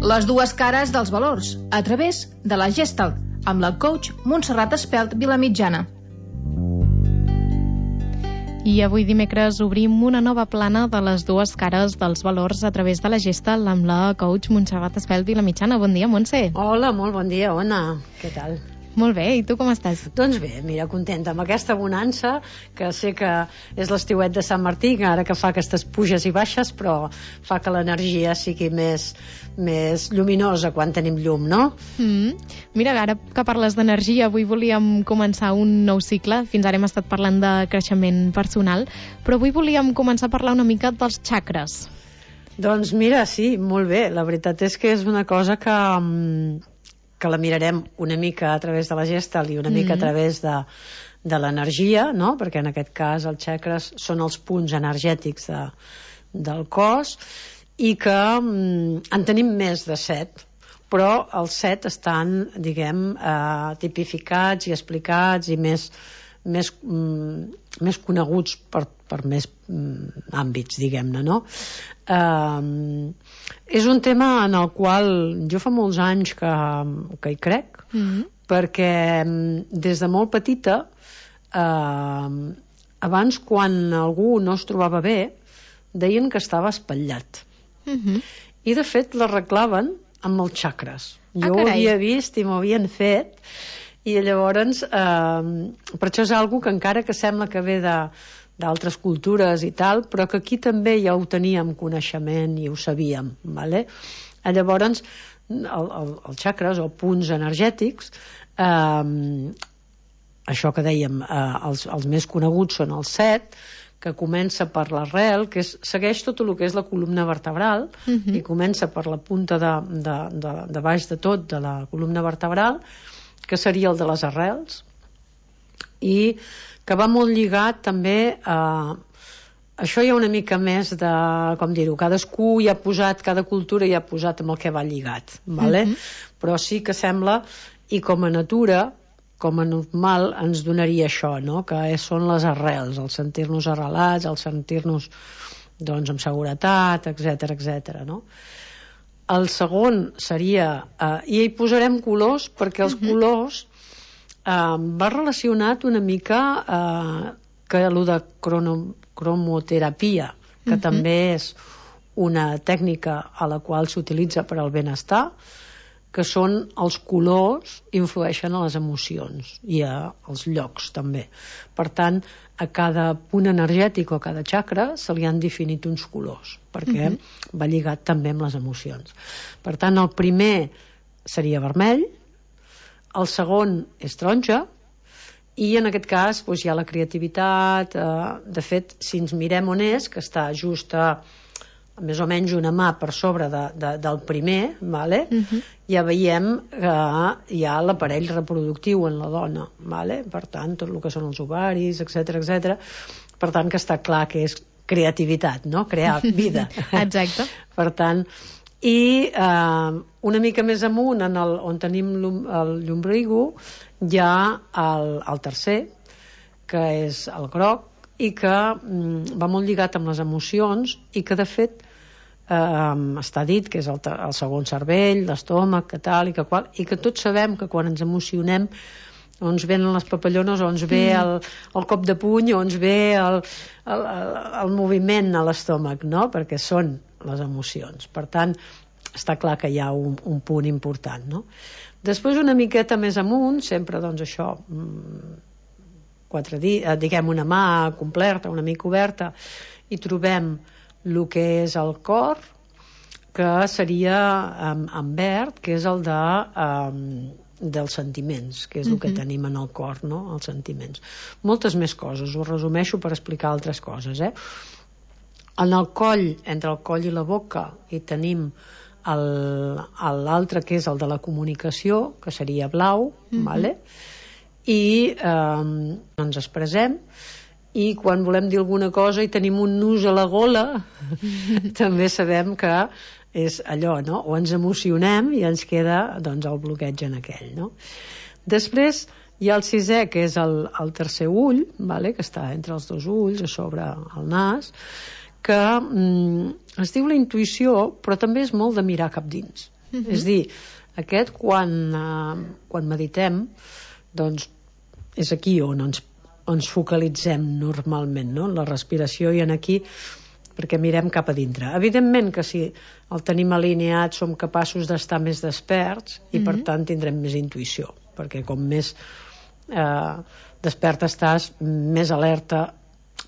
Les dues cares dels valors, a través de la Gestalt, amb la coach Montserrat Espelt Vilamitjana. I avui dimecres obrim una nova plana de les dues cares dels valors a través de la Gestalt amb la coach Montserrat Espelt Vilamitjana. Bon dia, Montse. Hola, molt bon dia, Ona. Què tal? Molt bé, i tu com estàs? Doncs bé, mira, contenta amb aquesta bonança, que sé que és l'estiuet de Sant Martí, que ara que fa aquestes puges i baixes, però fa que l'energia sigui més lluminosa quan tenim llum, no? Mira, ara que parles d'energia, avui volíem començar un nou cicle. Fins ara hem estat parlant de creixement personal, però avui volíem començar a parlar una mica dels xacres. Doncs mira, sí, molt bé. La veritat és que és una cosa que la mirarem una mica a través de la Gestalt i una mica a través de l'energia, no? Perquè en aquest cas els xacres són els punts energètics del cos i que en tenim més de 7, però els 7 estan, diguem, tipificats i explicats i més coneguts per més àmbits, diguem-ne, no? És un tema en el qual jo fa molts anys que hi crec, perquè des de molt petita, abans quan algú no es trobava bé, deien que estava espatllat. I de fet l'arreglaven amb els xacres. Jo ho havia vist i m'ho havien fet, i llavors per això és algo que encara que sembla que ve d'altres cultures i tal, però que aquí també ja ho teníem coneixement i ho sabíem, vale? Llavors els xacres o punts energètics, això que dèiem, els més coneguts són els 7, que comença per l'arrel, que segueix tot el que és la columna vertebral, i comença per la punta de baix de tot de la columna vertebral, que seria el de les arrels, i que va molt lligat també a... Això hi ha una mica més de, com dir-ho, cadascú hi ha posat, cada cultura hi ha posat amb el que va lligat, vale? Però sí que sembla, i com a natura, com a normal, ens donaria això, no? Que són les arrels, el sentir-nos arrelats, el sentir-nos, doncs, amb seguretat, etc., no? El segon seria, i hi posarem colors, perquè els colors va relacionat una mica que allò de cromoterapia, que també és una tècnica a la qual s'utilitza per al benestar, que són els colors influeixen a les emocions i als llocs també. Per tant, a cada punt energètic o a cada xacra se li han definit uns colors, perquè va lligat també amb les emocions. Per tant, el primer seria vermell, el segon és taronja, i en aquest cas doncs, hi ha la creativitat. De fet, si ens mirem on és, que està just a més o menys una mà per sobre del primer, vale? Ja veiem que hi ha l'aparell reproductiu en la dona, vale? Per tant, tot el que són els ovaris, etc. Per tant, que està clar que és creativitat, no? Crear vida. Exacte. Per tant, i una mica més amunt, on tenim el llombrigo, hi ha el tercer, que és el groc, i que va molt lligat amb les emocions, i que de fet està dit que és el segon cervell, l'estómac, que tal i que qual, i que tots sabem que quan ens emocionem o ens venen les papallones, o ens ve el cop de puny, o ens ve el moviment a l'estómac, no? Perquè són les emocions. Per tant, està clar que hi ha un punt important, no? Després, una miqueta més amunt, sempre, doncs, això, diguem una mà completa, una mica oberta, i trobem el que és el cor, que seria en verd, que és el dels sentiments, que és el que tenim en el cor, no? Els sentiments. Moltes més coses, ho resumeixo per explicar altres coses, En el coll, entre el coll i la boca, hi tenim l'altre, que és el de la comunicació, que seria blau, vale? I ens expressem, i quan volem dir alguna cosa i tenim un nus a la gola, també sabem que és allò, no? O ens emocionem i ens queda, doncs, el bloqueig en aquell, no? Després hi ha el sisè, que és el tercer ull, vale? Que està entre els dos ulls, a sobre el nas, que es diu la intuïció, però també és molt de mirar cap dins. És dir, aquest quan meditem, doncs és aquí on ens focalitzem normalment, no? En la respiració i en aquí, perquè mirem cap a dintre. Evidentment que si el tenim alineat som capaços d'estar més desperts i per tant tindrem més intuïció, perquè com més despert estàs, més alerta,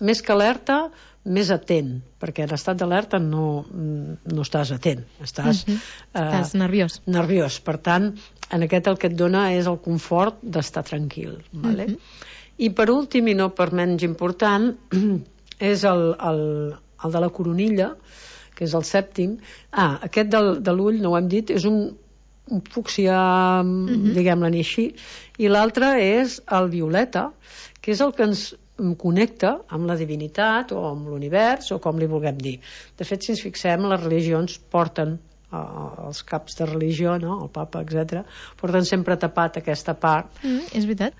més que alerta, més atent, perquè en estat d'alerta no estàs atent, estàs nerviós. Per tant, en aquest el que et dona és el confort d'estar tranquil, vale? I per últim, i no per menys important, és el de la coronilla, que és el sèptim. Aquest de l'ull, no ho hem dit, és un fúcsia, diguem-ne així, i l'altre és el violeta, que és el que ens connecta amb la divinitat o amb l'univers o com li vulguem dir. De fet, si ens fixem, les religions porten, els caps de religió, no? El papa, etc., porten sempre tapat aquesta part. És veritat.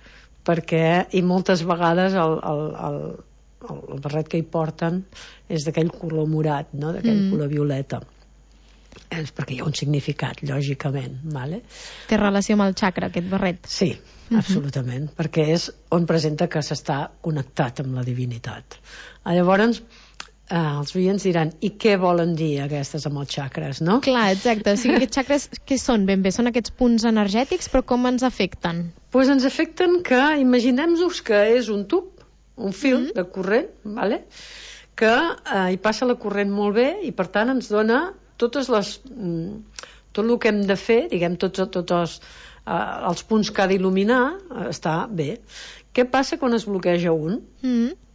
Perquè, i moltes vegades el barret que hi porten és d'aquell color morat, no? D'aquell color violeta. És perquè hi ha un significat, lògicament, vale? Té relació amb el xacra, aquest barret? Sí, absolutament, perquè és on presenta que s'està connectat amb la divinitat. Llavors, els oients diran, i què volen dir aquestes amb els xacres, no? Clar, exacte. O sigui, aquests xacres, què són ben bé? Són aquests punts energètics, però com ens afecten? Doncs ens afecten que, imaginem-nos que és un tub, un fil de corrent, vale? Que hi passa la corrent molt bé i per tant ens dona tot el que hem de fer, diguem, tots els punts que ha d'il·luminar, està bé. Què passa quan es bloqueja un?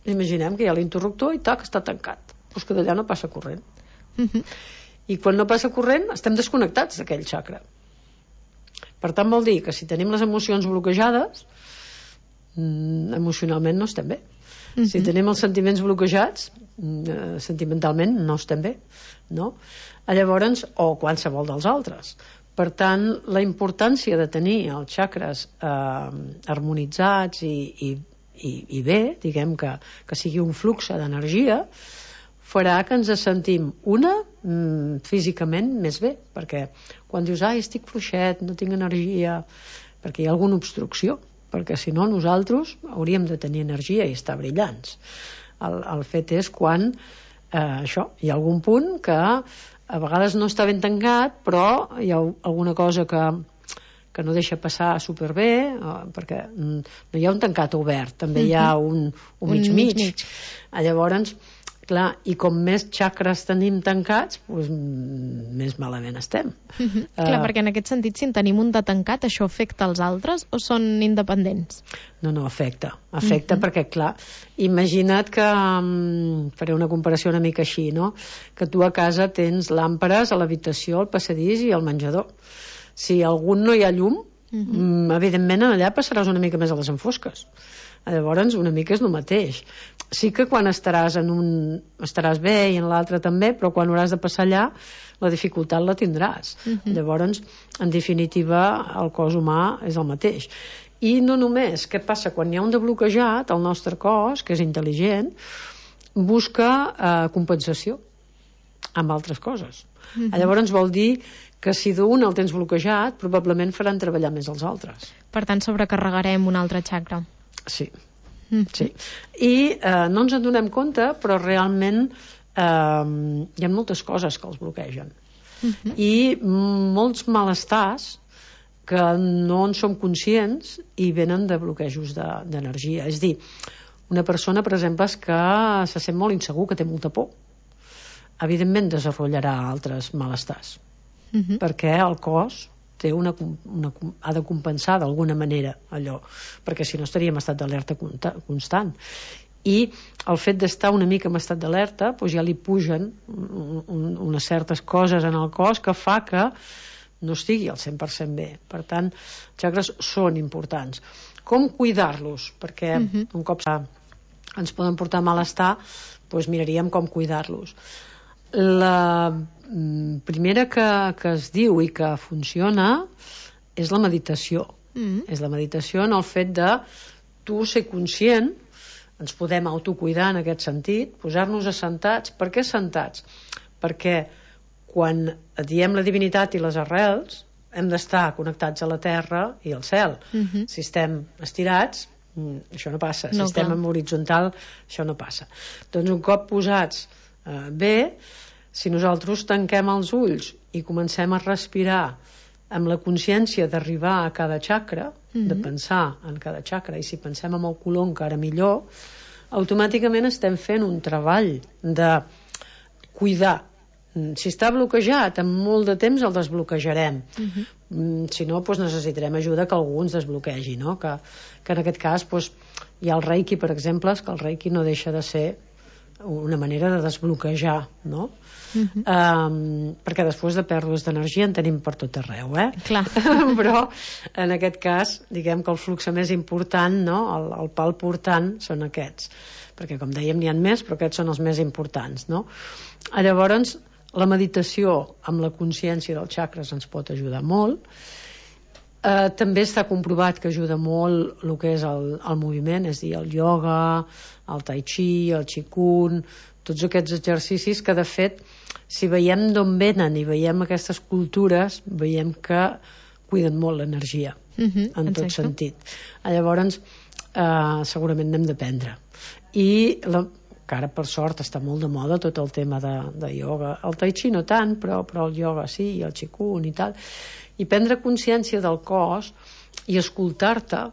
Imaginem que hi ha l'interruptor i tac, està tancat. Doncs que d'allà no passa corrent. I quan no passa corrent estem desconnectats d'aquell xacra. Per tant vol dir que si tenim les emocions bloquejades, emocionalment no estem bé. Si tenim els sentiments bloquejats, sentimentalment no estem bé, no? Llavors, o qualsevol dels altres. Per tant, la importància de tenir els xacres harmonitzats i bé, diguem que sigui un flux d'energia, farà que ens sentim físicament més bé, perquè quan dius, estic fluixet, no tinc energia, perquè hi ha alguna obstrucció, perquè si no nosaltres hauríem de tenir energia i estar brillants. El fet és quan hi ha algun punt que a vegades no està ben tancat, però hi ha alguna cosa que no deixa passar superbé, perquè no hi ha un tancat obert, també hi ha un mig. Llavors, clar, i com més xacres tenim tancats, doncs més malament estem. Clar, perquè en aquest sentit, si en tenim un de tancat, això afecta als altres o són independents? No, afecta perquè, clar, imagina't que, faré una comparació una mica així, no? Que tu a casa tens làmperes a l'habitació, al passadís i al menjador. Si a algun no hi ha llum, evidentment allà passaràs una mica més a les enfosques. Llavors una mica és el mateix. Sí que quan estaràs bé i en l'altre també, però quan hauràs de passar allà la dificultat la tindràs. Llavors, en definitiva, el cos humà és el mateix. I no només, què passa? Quan hi ha un de bloquejat, el nostre cos, que és intel·ligent, busca compensació amb altres coses. Llavors vol dir que si d'un el tens bloquejat, probablement faran treballar més els altres. Per tant, sobrecarregarem un altre xacra. Sí. I no ens en donem compte, però realment hi ha moltes coses que els bloquegen. I molts malestars que no en som conscients i venen de bloquejos d'energia. És dir, una persona, per exemple, que se sent molt insegur, que té molta por, evidentment desenvoluparà altres malestars, perquè el cos ha de compensar d'alguna manera allò, perquè si no estaríem en estat d'alerta constant. I el fet d'estar una mica en estat d'alerta, doncs ja li pugen unes certes coses en el cos que fa que no estigui al 100% bé. Per tant, els xacres són importants. Com cuidar-los? Perquè un cop ens poden portar malestar, doncs miraríem com cuidar-los. La primera que es diu i que funciona és la meditació. És la meditació en el fet de tu ser conscient, ens podem autocuidar en aquest sentit, posar-nos assentats. Per què assentats? Perquè quan diem la divinitat i les arrels, hem d'estar connectats a la terra i al cel. Si estem estirats, això no passa. Si estem en horitzontal, això no passa. Doncs un cop posats bé, si nosaltres tanquem els ulls i comencem a respirar amb la consciència d'arribar a cada xacra, de pensar en cada xacra, i si pensem en el color encara millor, automàticament estem fent un treball de cuidar. Si està bloquejat, en molt de temps el desbloquejarem. Si no, doncs necessitarem ajuda que algú ens desbloquegi, no? Que en aquest cas hi ha el reiki, per exemple, que el reiki no deixa de ser una manera de desbloquejar, no? Perquè després de pèrdues d'energia en tenim per tot arreu, Clar. Però en aquest cas, diguem que el flux més important, no? El pal portant són aquests, perquè com dèiem n'hi ha més, però aquests són els més importants, no? Llavors la meditació amb la consciència dels xacres ens pot ajudar molt. També està comprovat que ajuda molt el que és el moviment, és a dir, el ioga, el tai chi, el qigong, tots aquests exercicis que de fet, si veiem d'on venen i veiem aquestes cultures, veiem que cuiden molt l'energia, en tot sentit. Llavors segurament n'hem d'aprendre. I que ara per sort està molt de moda tot el tema de ioga, el tai chi no tant, però el ioga sí, i el qigong i tal, i prendre consciència del cos i escoltar-te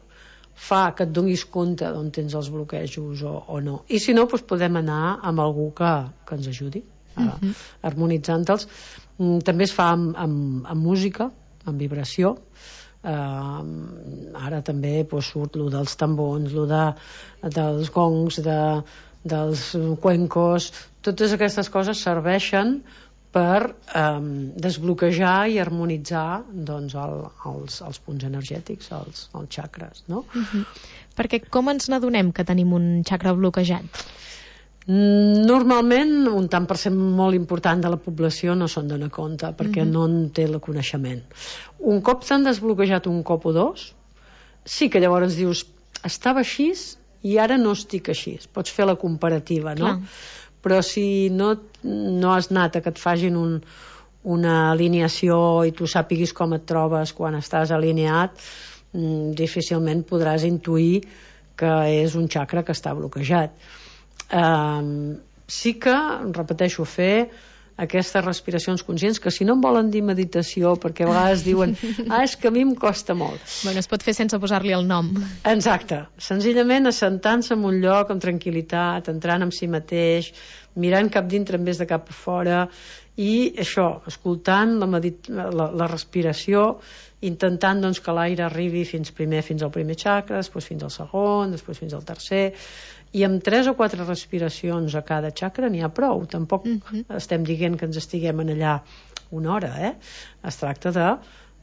fa que et donis compte d'on tens els bloquejos o no, i si no podem anar amb algú que ens ajudi harmonitzant-los. També es fa amb música, amb vibració. Ara també surt lo dels tambors, lo dels gongs, dels cuencos. Totes aquestes coses serveixen per desbloquejar i harmonitzar doncs, els punts energètics, els xacres, no? Perquè com ens n'adonem que tenim un xacra bloquejat? Normalment un tant per cent molt important de la població no se'n dona compte perquè no en té el coneixement. Un cop s'han desbloquejat un cop o dos, sí que llavors dius estava així i ara no estic així. Pots fer la comparativa, no? Però si no has anat a que et facin una alineació i tu sàpiguis com et trobes quan estàs alineat, difícilment podràs intuir que és un xacra que està bloquejat. Sí que, repeteixo, fer aquestes respiracions conscients, que si no en volen dir meditació, perquè a vegades diuen és que a mi em costa molt. Bueno, es pot fer sense posar-li el nom. Exacte, senzillament assentant-se en un lloc amb tranquil·litat, entrant en si mateix, mirant cap dintre en vez de cap a fora, i això, escoltant la respiració, intentant doncs, que l'aire arribi fins al primer xacra, després fins al segon, després fins al tercer, i amb 3 o 4 respiracions a cada xacra n'hi ha prou. Tampoc estem dient que ens estiguem en allà una hora, Es tracta de,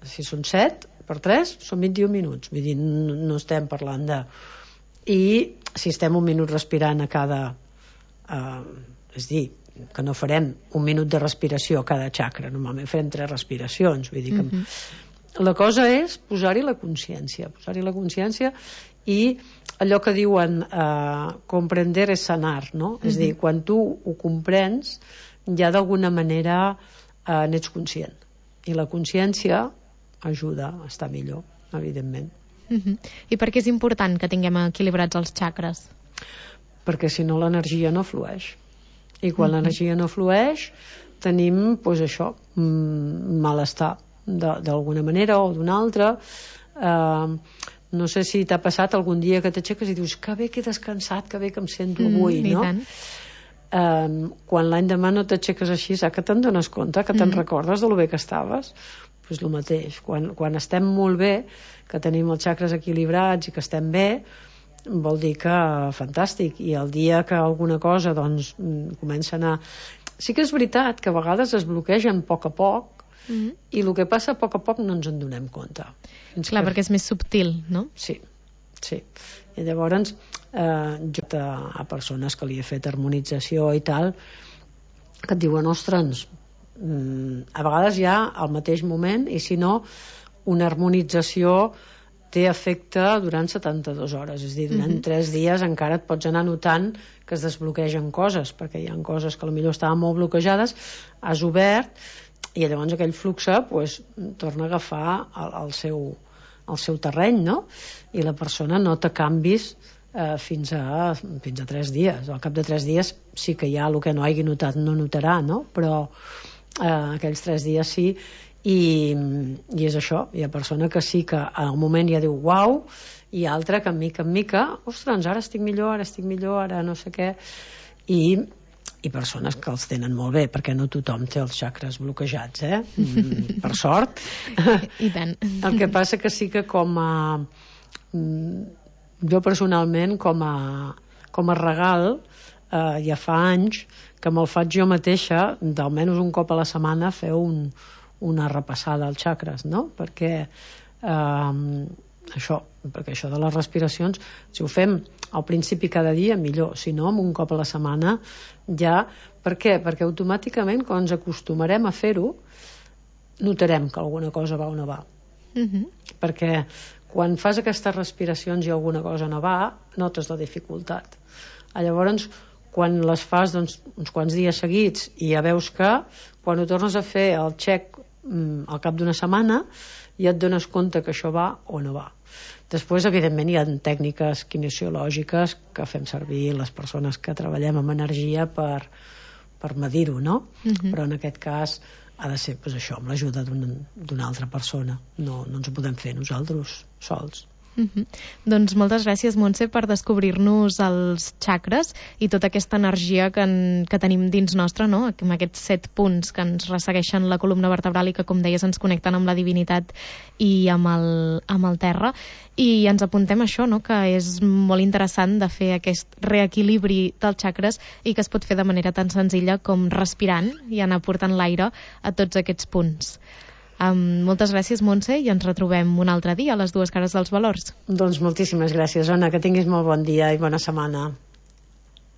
si són 7 per 3, són 21 minuts. Vull dir, no estem parlant de... I si estem un minut respirant a cada... és dir, que no farem un minut de respiració a cada xacra, normalment farem 3 respiracions. Vull dir que... La cosa és posar-hi la consciència. I allò que diuen comprender és sanar, no? És a dir, quan tu ho comprens ja d'alguna manera n'ets conscient, i la consciència ajuda a estar millor, evidentment. I per què és important que tinguem equilibrats els xacres? Perquè si no l'energia no flueix, i quan l'energia no flueix tenim això, malestar d'alguna manera o d'una altra. No sé si t'ha passat algun dia que t'aixeques i dius que bé que he descansat, que bé que em sento avui, no? Quan l'endemà no t'aixeques així, que te'n dones compte, que te'n recordes de lo bé que estaves? Doncs el mateix, quan estem molt bé, que tenim els xacres equilibrats i que estem bé, vol dir que fantàstic, i el dia que alguna cosa doncs comença a anar... Sí que és veritat que a vegades es bloquegen a poc, i el que passa a poc no ens en donem compte. Clar, perquè és més subtil, no? Sí. I llavors jo a persones que li he fet harmonització i tal, que et diuen, ostres, a vegades hi ha al mateix moment, i si no una harmonització té efecte durant 72 hores, és a dir, durant 3 dies encara et pots anar notant que es desbloquegen coses, perquè hi ha coses que potser estaven molt bloquejades, has obert, i llavors aquell flux pues, torna a agafar el seu terreny, no? I la persona nota canvis fins a 3 dies. Al cap de 3 dies sí que ja el que no hagi notat no notarà, no? Però aquells 3 dies sí. I és això, hi ha persona que sí que al moment ja diu uau, i altra que mica en mica, ostres, ara estic millor, ara no sé què, i persones que els tenen molt bé, perquè no tothom té els xacres bloquejats, per sort. I tant. El que passa que sí que com a jo personalment com a regal ja fa anys que me'l faig jo mateixa, d'almenys un cop a la setmana fer una repassada als xacres, no? Perquè això de les respiracions, si ho fem al principi cada dia, millor, si no, un cop a la setmana ja. Per què? Perquè automàticament quan ens acostumarem a fer-ho notarem que alguna cosa va o no va. Perquè quan fas aquestes respiracions i alguna cosa no va, notes la dificultat. Llavors, quan les fas uns quants dies seguits i ja veus que quan ho tornes a fer el check al cap d'una setmana ja et dones compte que això va o no va. Després, evidentment, hi ha tècniques kinesiològiques que fem servir les persones que treballem amb energia per medir-ho, no? Però en aquest cas ha de ser això, amb l'ajuda d'una altra persona. No ens ho podem fer nosaltres sols. Doncs moltes gràcies, Montse, per descobrir-nos els xacres i tota aquesta energia que tenim dins nostre, no? Amb aquests 7 punts que ens ressegueixen la columna vertebral i que, com deies, ens connecten amb la divinitat i amb el terra. I ens apuntem això, no? Que és molt interessant de fer aquest reequilibri dels xacres i que es pot fer de manera tan senzilla com respirant i anar portant l'aire a tots aquests punts. Moltes gràcies, Montse, i ens retrobem un altre dia a les 2 cares dels valors. Doncs moltíssimes gràcies, Ona, que tinguis molt bon dia i bona setmana.